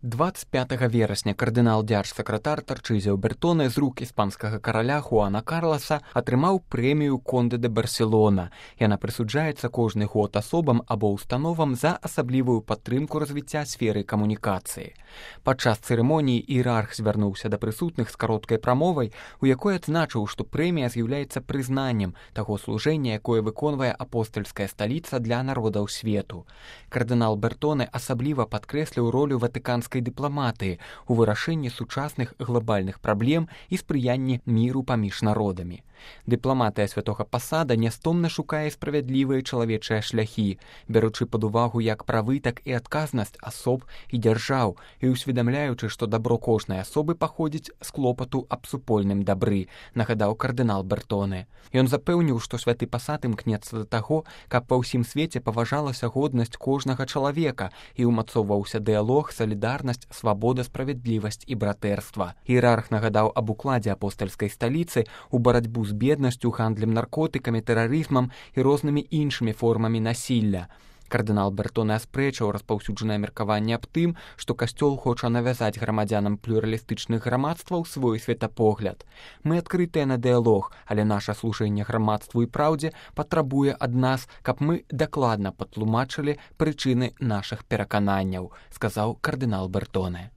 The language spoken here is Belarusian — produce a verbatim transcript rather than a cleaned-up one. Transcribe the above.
двадцать пятага верасня кардынал дзярж-сакратар Тарчызіо Бертоне з рук іспанскага караля Хуана Карласа атрымаў прэмію Конде де Барселона. Яна прысуджаецца кожны год асобам або установам за асаблівую падтрымку развіцця сферы камунікацыі. Падчас цырымоніі іерарх звярнуўся да прысутных з кароткай прамовай, у якой адзначыў, што прэмія з'яўляецца прызнаннем таго служэння, якое выконвае апостальская сталіца для народаў свету. Кардынал Бертоне асабліва падкрэсліў ролю ватыканскай дыпламатыі у вырашэнні сучасных глобальных праблем і спрыянні міру паміж народамі. Дыпламатыя святога пасада нястомна шукае справядлівыя чалавечыя шляхі, бяручы пад увагу як правы, так і адказнасць асоб і дзяржаў, і усведамляючы, што дабро кожнай асобы паходзіць з клопату аб супольным дабры, нагадаў кардынал Бертоне. Ён запэўніў, што святы пасад імкнецца да таго, каб па ўсім свеце паважалася годнасць кожнага чалавека і ўмацоўваўся дыялог, салідарнасць, свабода, справядлівасць і братэрства. Іерарх нагадаў аб укладзе апостальскай сталіцы ў барацьбу з беднасцю, гандлем наркотыкамі, тэрарызмам і рознымі іншымі формамі насілля. Кардынал Бертоне аспрэчыў распаўсюджанае меркаванне аб тым, што касцёл хоча навязаць грамадзянам плюралістычных грамадстваў свой светапогляд. Мы адкрытыя на дыялог, але наша служэнне грамадству і праўдзе патрабуе ад нас, каб мы дакладна патлумачылі прычыны нашых перакананняў, сказаў кардынал Бертоне.